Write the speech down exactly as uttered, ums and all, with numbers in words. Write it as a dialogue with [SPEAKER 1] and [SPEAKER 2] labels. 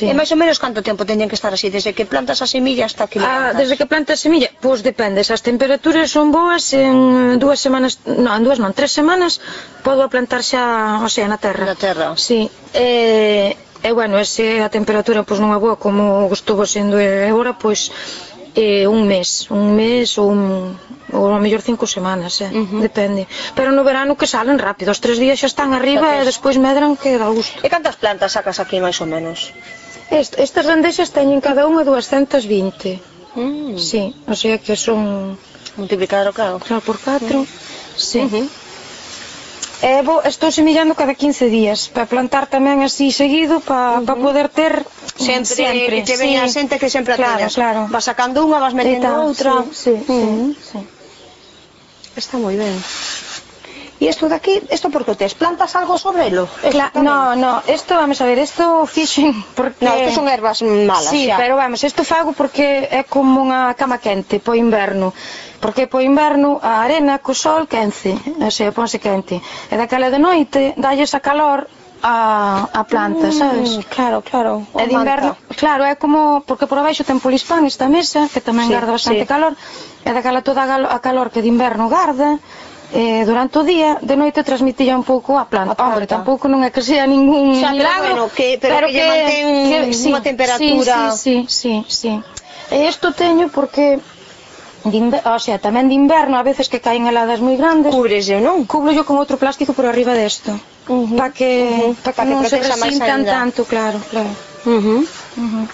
[SPEAKER 1] E máis ou menos canto tempo teñen que estar así, desde que plantas a semilla hasta que
[SPEAKER 2] ah, desde que plantas a semilla, pois depende, se as temperaturas son boas, en dúas semanas, non, en dúas non, tres semanas podo plantar xa, o sea, na terra.
[SPEAKER 1] Na terra.
[SPEAKER 2] Sí, e, e bueno, se a temperatura pois non é boa como estuvo sendo agora, pois eh, un mes, un mes ou un, ou a mellor cinco semanas, eh, uh -huh. depende. Pero no verano que salen rápido, os tres días xa están arriba e despois medran que dá gusto.
[SPEAKER 1] E cantas plantas sacas aquí máis ou menos?
[SPEAKER 2] Est, estas rendexas teñen cada unha duascentas vinte.
[SPEAKER 1] Mm.
[SPEAKER 2] Sí, o sea que son...
[SPEAKER 1] Multiplicado, claro.
[SPEAKER 2] Claro, por catro, mm. sí.
[SPEAKER 1] Uh -huh.
[SPEAKER 2] E vou, estou semillando cada quince días, para plantar tamén así seguido, para uh -huh. pa poder ter
[SPEAKER 1] sempre,
[SPEAKER 2] sempre.
[SPEAKER 1] que veña a xente que sempre a
[SPEAKER 2] claro,
[SPEAKER 1] teñas.
[SPEAKER 2] Claro.
[SPEAKER 1] Vas sacando unha, vas metendo outra.
[SPEAKER 2] Sí, sí,
[SPEAKER 1] uh -huh.
[SPEAKER 2] sí, sí.
[SPEAKER 1] Está moi ben. E isto de aquí, isto por que tes? Plantas algo sobre elo?
[SPEAKER 2] Cla no, no, isto, vamos a ver, isto fixen porque...
[SPEAKER 1] No, isto son ervas malas,
[SPEAKER 2] sí,
[SPEAKER 1] xa.
[SPEAKER 2] pero vamos, isto fago porque é como unha cama quente po inverno. Porque po inverno a arena co sol quence, o sea, ponse quente. E daquela de noite dalles a calor a, a planta,
[SPEAKER 1] mm,
[SPEAKER 2] sabes?
[SPEAKER 1] Claro, claro.
[SPEAKER 2] E de inverno, claro, é como, porque por abaixo ten polispán esta mesa, que tamén sí, garda bastante sí. calor, e daquela toda a calor que de inverno garda, eh, durante o día, de noite transmitía un pouco a planta. A Hombre, tampouco non é que sea ningún
[SPEAKER 1] xa,
[SPEAKER 2] milagro,
[SPEAKER 1] pero, bueno, que, pero, pero que, que lle mantén que, sí, unha temperatura...
[SPEAKER 2] Sí, sí, sí, sí. E isto teño porque... De o sea, tamén de inverno, a veces que caen heladas moi grandes.
[SPEAKER 1] Cúbrese, non?
[SPEAKER 2] Cubro yo con outro plástico por arriba desto. Uh -huh. Para que, uh -huh. pa que, pa que non se resintan tanto, claro, claro.
[SPEAKER 1] Uh -huh.
[SPEAKER 2] Uh -huh.